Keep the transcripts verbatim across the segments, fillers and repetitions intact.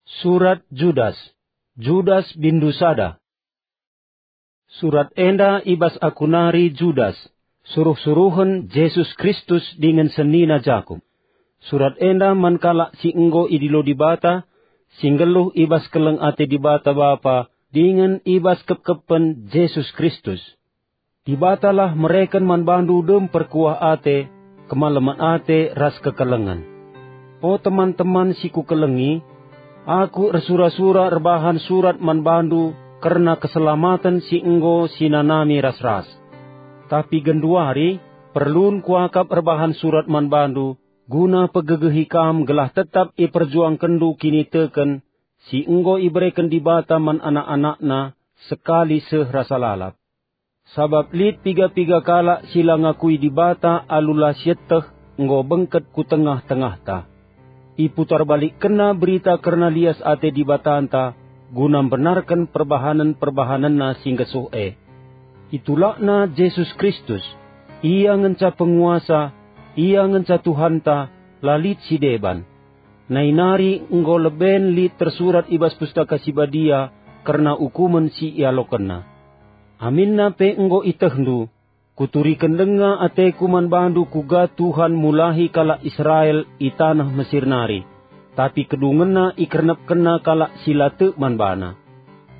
Surat Judas. Judas bindu sada. Surat enda i bas aku nari, Judas, suruh-suruhen Jesus Kristus dingen senina Jakup. Surat enda man kalak si enggo idilo Dibata, si nggeluh i bas keleng ate Dibata Bapa dingen i bas kepkepen Jesus Kristus. Dibatalah mereken man bandu dem perkuah ate, kemalemen ate ras kekelengen. O teman-teman si kukelengi, aku ersura-sura erbahan surat man bandu kerna keselamaten si enggo sinanami ras-ras. Tapi genduari perlun kuakap erbahan surat man bandu, guna pegegehi kam gelah tetap iperjuangkenndu kiniteken si enggo ibereken Dibata man anak-anakNa sekali seh rasa lalap. Sabap lit piga-piga kalak si la ngakui Dibata alu la sieteh enggo bengket ku tengah-tengahta. Iputarbalikkenna berita kerna lias ate Dibatanta guna mbenarken perbahanen-perbahanenNa si nggesuh e. Itulakna Jesus Kristus, Ia ngenca penguasa, Ia ngenca Tuhanta, la lit si deban. Nai nari enggo leben lit tersurat i bas Pustaka Si Badia kerna ukumen si ialokenNa. Aminna pe enggo itehndu, kuturiken denga ateku man bandu kuga Tuhan mulahi kalak Israel i taneh Mesir nari, tapi kedungenna ikernepkenna kalak si la tek man baNa.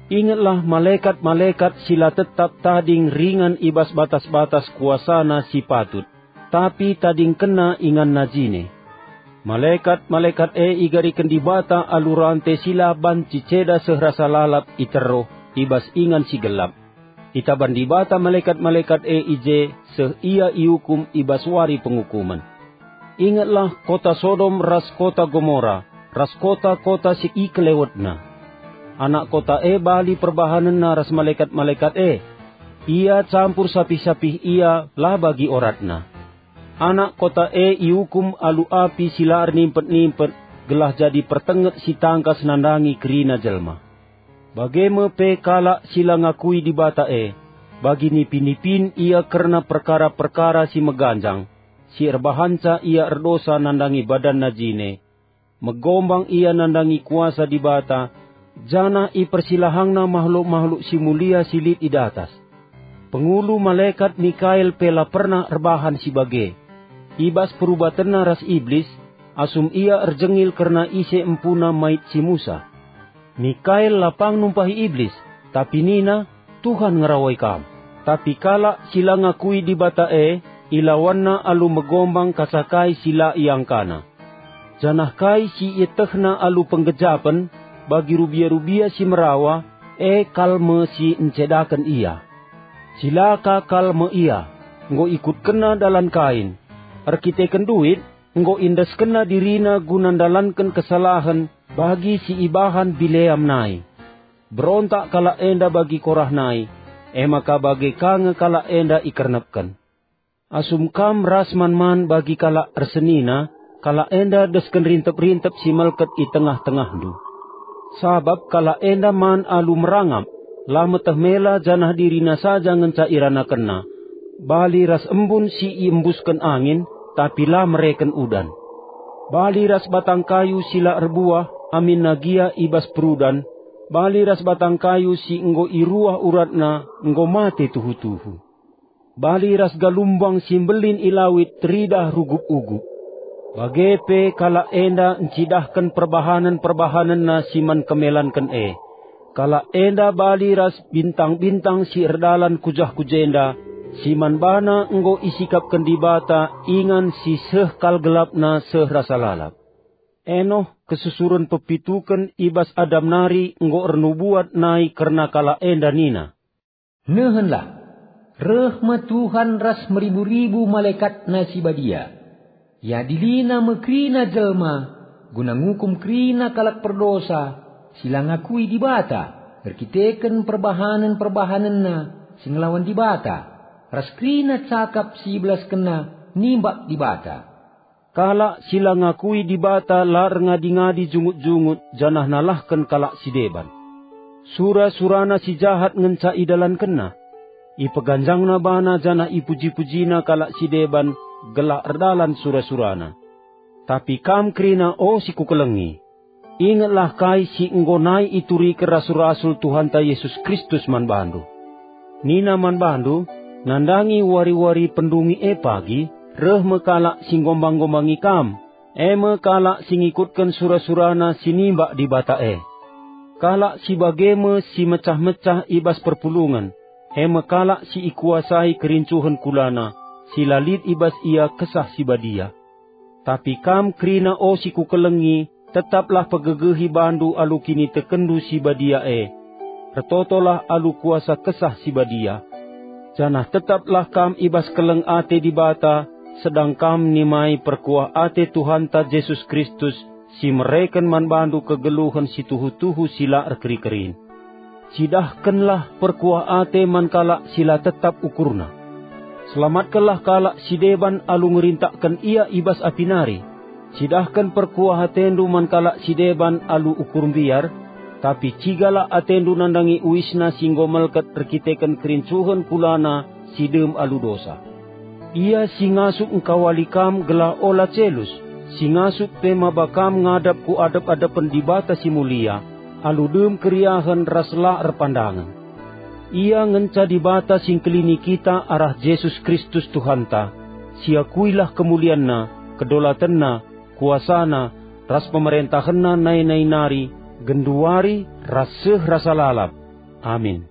Ingetlah malekat-malekat si la tetap tading ringan i bas batas-batas kuasana si patut, tapi tadingkenna inganna jine. Malekat-malekat e igariken Dibata alu rante si la banci ceda seh rasa lalap i teruh i bas ingan si gelap. Itaban Dibata malekat-malekat e i je seh ia iukum i bas wari pengukumen. Ingetlah kota Sodom ras kota Gomora, ras kota-kota si ikelewetna. Anak kota e bali perbahanenna ras malekat-malekat e. Ia campur sapih-sapih ia la bagi oratna. Anak kota e iukum alu api si la ernimpet-nimpet, gelah jadi pertenget si tangkas nandangi kerina jelma. Bage me pe kalak si la ngakui Dibata e, bagi nipi-nipin ia kerna perkara-perkara si meganjang, si erbahanca ia erdosa nandangi badanna jine, megombang ia nandangi kuasa Dibata, janah ipersilahangna mahluk-mahluk si mulia si lit i datas. Pengulu malekat Mikael pe la pernah erbahan si bage. I bas perubatenna ras Iblis, asum ia erjengil kerna ise empuna mait si Musa. Mikael la pang numpahi Iblis, tapi nina, "Tuhan ngerawai kam." Tapi kalak si la ngakui Dibata e, ilawanna alu megombang kaca kai si la iangkana. Janah kai si ietehna alu penggejapen bagi rubia-rubia si merawa, e kal me si ncedaken ia. Cilaka kal me ia, enggo ikutkenna dalan Kain. Erkiteken duit, enggo iendeskenna dirina guna ndalanken kesalahen bagi si ibahan Bileam nai. Berontak kalak enda bagi Korah nai, e maka bage ka nge kalak enda ikernepken. Asum kam ras man-man bagi kalak ersenina, kalak enda desken rintep-rintep si melket i tengah-tengahndu. Sabap kalak enda man alu merangap, la meteh mela janah dirina saja ngenca iranakenna, bali ras embun si iembusken angin, tapi la mereken udan. Bali ras batang kayu si la erbuah aminna gia i bas perudan, bali ras batang kayu si enggo iruah uratna enggo mate tuhu-tuhu. Bali ras galumbang si mbelin i lawit teridah rugup-ugup. Bage pe kalak enda ncidahken perbahanenna si man kemelanken e. Kalak enda bali ras bintang-bintang si erdalan ku jah ku jenda, si man bana enggo isikapken Dibata ingan si seh kal gelapna seh rasa lalap. Enoh, kesusuren pepituken i bas Adam nari enggo ernubuat nai kerna kalak enda nina, "Nehenlah, reh me Tuhan ras meribu-ribu malekatNa si badia. IadiliNa me kerina jelma, guna ngukum kerina kalak perdosa si la ngakui Dibata erkiteken perbahanen-perbahanenna si ngelawan Dibata, ras kerina cakap si ibelaskenna nimbak Dibata." Kalak si la ngakui Dibata la erngadi-ngadi jungut-jungut janah nalahken kalak si deban. Sura-surana si jahat ngenca idalankenna. Ipeganjangna bana janah ipuji-pujina kalak si deban gelah erdalan sura-surana. Tapi kam kerina, o si kukelengi, Ingetlah kai si enggo nai ituriken rasul-rasul Tuhanta Jesus Kristus man bandu. Nina man bandu, nandangi wari-wari pendungi e pagi, reh me kalak si nggombang-ngombangi kam, e me kalak si ngikutken sura-surana si nimbak Dibata e. Kalak si bage me si mecah-mecah i bas perpulungen, e me kalak si ikuasai kerincuhen kulana, si la lit i bas ia Kesah Si Badia. Tapi kam kerina, o si kukelengi, tetaplah pegegehi bandu alu kinitekenndu si badia e. Ertotolah alu kuasa Kesah Si Badia. Janah tetaplah kam i bas keleng ate Dibata, sedang kam nimai perkuah ate Tuhanta Jesus Kristus, si mereken man bandu kegeluhen si tuhu-tuhu si la erkeri-kerin. Cidahkenlah perkuah ate man kalak si la tetap ukurna. Selamatkenlah kalak si deban alu ngerintakken ia i bas api nari. Cidahken perkuah atendu man kalak si deban alu ukur mbiar, tapi cigalah atendu nandangi uisna si enggo melket erkiteken kerincuhen kulana si dem alu dosa. Ia si ngasup engkawali kam gelah ola celus, si ngasup pe maba kam ngadap ku adep-adepen Dibata si Mulia, alu dem keriahen ras la erpandangen. Ia ngenca Dibata si engkelini kita arah Jesus Kristus Tuhanta. Siakuilah kemulianNa, kedolatenNa, kuasaNa, ras pemerentahenNa nai-nai nari, genduari, ras seh rasa lalap. Amin.